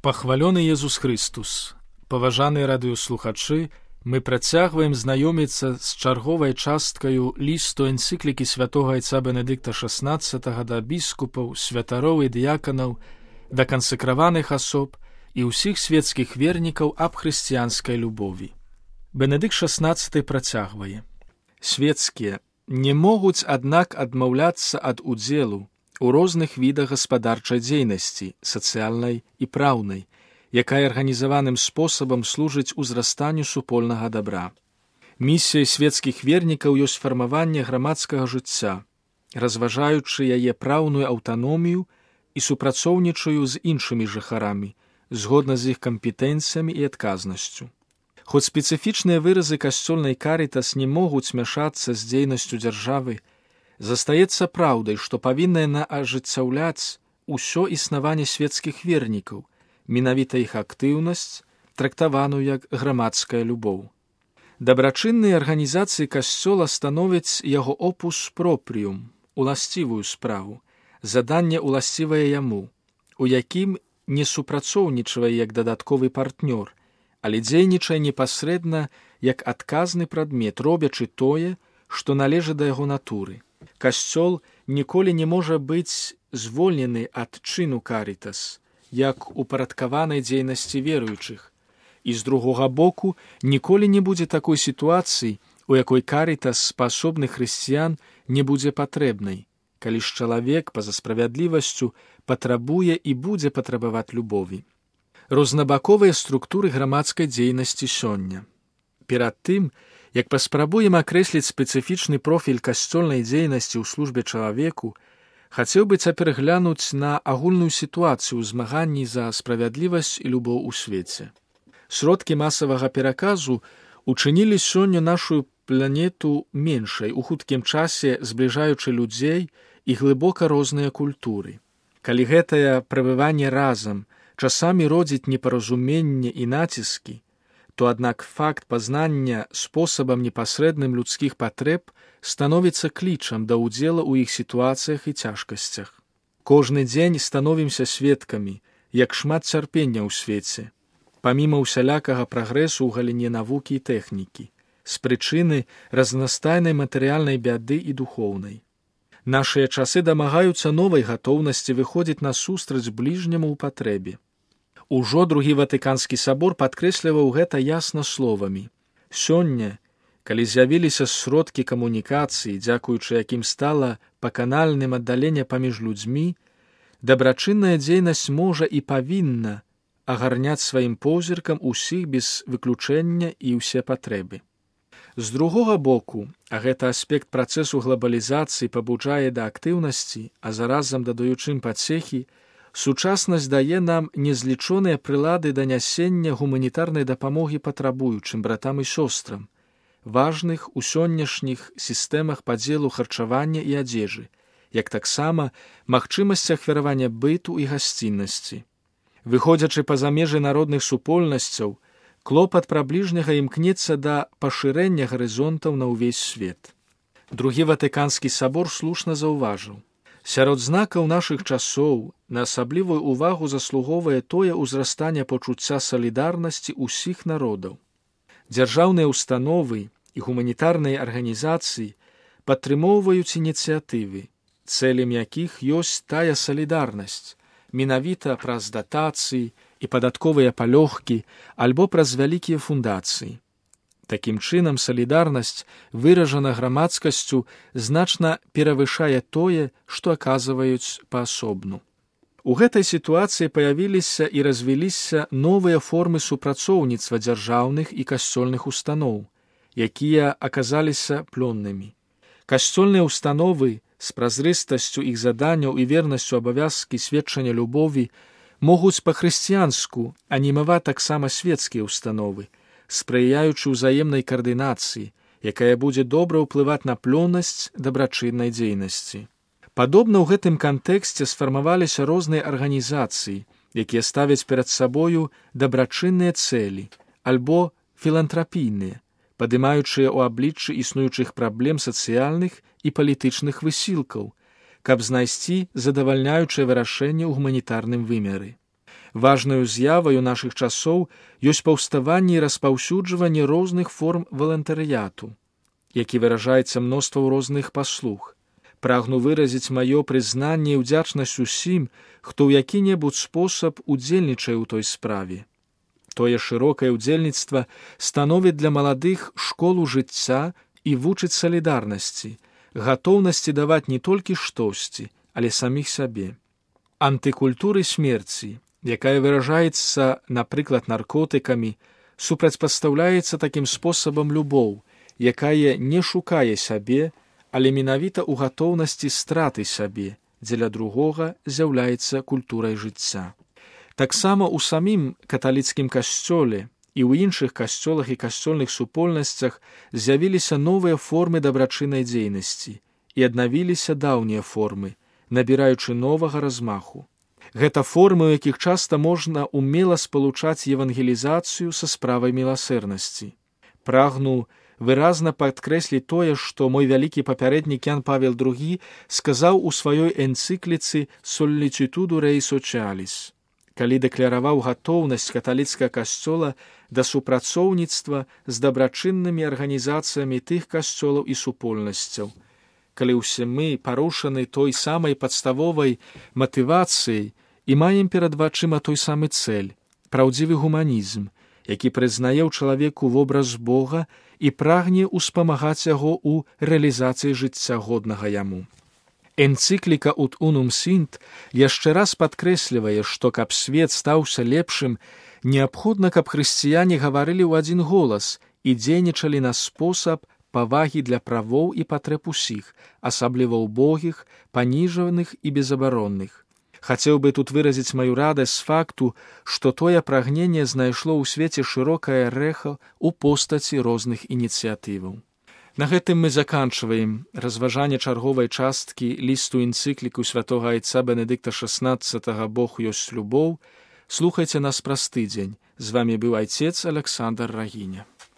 Пахвалёны Езус Христус! Паважаныя радыёслухачы, мы працягваем знаёміцца з чарговай часткаю лісту энцыклікі святога айца Бенедыкта XVI да біскупаў, святароў і дыяканаў, да кансакраваных асоб і ўсіх светскіх вернікаў аб хрысціянскай любові. Бенедыкт XVI працягвае. Светскія не могуць, аднак, адмаўляцца ад удзелу у розных відах гаспадарчай дзейнасці, сацыяльнай і праўнай, якая арганізаваным спосабам служыць узрастанню супольнага дабра. Місіяй светскіх вернікаў ёсць фармаванне грамадскага жыцця, разважаючы яе праўную аўтаномію і супрацоўнічаю з іншымі жыхарамі, згодна з іх кампетэнцыямі і адказнасцю. Хоць спецыфічныя выразы касцёльнай карітас не могуць мяшацца з дзейнасцю дзяржавы, застаецца праўдай, што павінна яна ажыццяўляць усё існаванне светскіх вернікаў, менавіта іх актыўнасць, трактаваную як грамадская любоў. Дабрачынныя арганізацыі касцёла становяць яго опус пропріум, уласцівую справу, заданне уласцівае яму, у якім не супрацоўнічае як дадатковы партнёр, але дзейнічае непасрэдна як адказны прадмет, робячы тое, што належыць да яго натуры. Касцёл ніколі не можа быць звольнены ад чыну карітас, як упарадкаванай дзейнасці веруючых, і з другога боку ніколі не будзе такой сітуацыі, у якой карітас спасобных хрысціян не будзе патрэбнай, калі ж чалавек па-за справядлівасцю патрабуе і будзе патрабаваць любові. Рознабаковыя структуры грамадскай дзейнасці сёння. Перад тым, як паспрабуем акрэсліць спецыфічны профіль касцёльнай дзейнасці ў службе чалавеку, хацеў бы цяпер глянуць на агульную сітуацыю ў змаганні за справядлівасць і любоў у свеце. Сродкі масавага пераказу учынілі сёння нашу планету меншай, у хуткім часе збліжаючы людзей і глыбока розныя культуры. Калі гэтае прабыванне разам часамі родзіць непаразуменне і націскі, то аднак факт пазнання спосабам непасрэдным людскіх патрэб становіцца клічам да ўдзела ў іх сітуацыях і цяжкасцях. Кожны дзень становімся сведкамі, як шмат цярпення ў свеце, паміма ўсялякага прагрэсу ў галіне навукі і тэхнікі, з прычыны разнастайнай матэрыяльнай бяды і духоўнай. Нашыя часы дамагаюцца новай гатоўнасці выходзіць насустрач бліжняму ў патрэбе. Ужо другі Ватыканскі сабор падкрэсліваў гэта ясна словамі. Сёння, калі з'явіліся сродкі камунікацыі, дзякуючы якім стала паканальным аддаленне паміж людзьмі, дабрачынная дзейнасць можа і павінна агарняць сваім позіркам усіх без выключэння і ўсе патрэбы. З другога боку, а гэта аспект працэсу глабалізацыі пабуджае да актыўнасці, а заразам дадаючым пацехі, сучаснасць дае нам незлічоныя прылады да нясення гуманітарнай дапамогі патрабуючым братам і сёстрам, важных у сённяшніх сістэмах падзелу харчавання і адзежы, як таксама магчымасць ахвяравання быту і гасціннасці. Выходзячы па-за межы народных супольнасцяў, клопат пра бліжняга імкнецца да пашырэння гарызонтаў на ўвесь свет. Другі Ватыканскі сабор слушна заўважыў. Сярод знакаў нашых часоў на асаблівую ўвагу заслугоўвае тое ўзрастанне пачуцця салідарнасці ўсіх народаў. Дзяржаўныя ўстановы і гуманітарныя арганізацыі падтрымоўваюць ініцыятывы, цэлем якіх ёсць тая салідарнасць, менавіта праз датацыі і падатковыя палёгкі альбо праз вялікія фундацыі. Такім чынам, салідарнасць, выражана грамадскасцю, значна перавышае тое, што аказваюць паасобну. У гэтай сітуацыі паявіліся і развіліся новыя формы супрацоўніцтва дзяржаўных і касцёльных устаноў, якія аказаліся плённымі. Касцёльныя установы з празрыстасцю іх заданняў і вернасцю абавязкі сведчання любові могуць па-хрысціянску анімаваць таксама светскія установы, спрыяючы ўзаемнай каардынацыі, якая будзе добра ўплываць на плённасць дабрачыннай дзейнасці. Падобна ў гэтым кантэксце сфармаваліся розныя арганізацыі, якія ставяць перад сабою дабрачынныя цэлі альбо філантрапійныя, падымаючыя ў абліччы існуючых праблем сацыяльных і палітычных высілкаў, каб знайсці задавальняючае вырашэнне ў гуманітарным вымеры. Важнаю з'яваю нашых часоў ёсць паўставанне і распаўсюджванне розных форм валантарыяту, які выражаецца мноствам розных паслуг. Прагну выразіць маё прызнанне і ўдзячнасць усім, хто ў які-небудзь спосаб удзельнічае ў той справе. Тое шырокае ўдзельніцтва становіць для маладых школу жыцця і вучыць салідарнасці, гатоўнасці даваць не толькі штосьці, але саміх сябе. Антыкультуры смерці, якая выражаецца, напрыклад, наркотыкамі, супрацьпастаўляецца такім спосабам любоў, якая не шукае сябе, але менавіта ў гатоўнасці страты сябе, дзеля другога з'яўляецца культурай жыцця. Таксама ў самім каталіцкім касцёле і ў іншых касцёлах і касцёльных супольнасцях з'явіліся новыя формы дабрачыннай дзейнасці і аднавіліся даўнія формы, набіраючы новага размаху. Гэта формы, у якіх часта можна умела спалучаць евангелізацыю са справай міласэрнасці. Прагну выразна падкрэсліць тое, што мой вялікі папярэднік Ян Павел II сказаў у сваёй энцыкліцы «Sollicitudo Rei Socialis», калі дэкляраваў гатоўнасць каталіцкага касцёла да супрацоўніцтва з дабрачыннымі арганізацыямі тых касцёлаў і супольнасцяў, калі ўсе мы парушаны той самай падставовай матывацыяй і маем перад вачыма той самы цэль – праўдзівы гуманізм, які прызнае ў чалавеку вобраз Бога і прагне ўспамагаць яго ў рэалізацыі жыцця годнага яму. Энцыкліка «Ut unum sint» яшчэ раз падкрэслівае, што каб свет стаўся лепшым, неабходна, каб хрысціяне гаварылі ў адзін голас і дзейнічалі на спосаб павагі для правоў і патрэб усіх, асабліва ўбогіх, паніжаных і безабаронных. Хацеў бы тут выразіць маю радасць з факту, што тое прагненне знайшло ў свеце шырокае рэха ў постаці розных ініцыятываў. На гэтым мы заканчваем разважанне чарговай часткі лісту энцыкліку святога айца Бенедыкта XVI «Бог ёсць любоў». Слухайце нас праз тыдзень. З вамі быў айцец Александр Рагіня.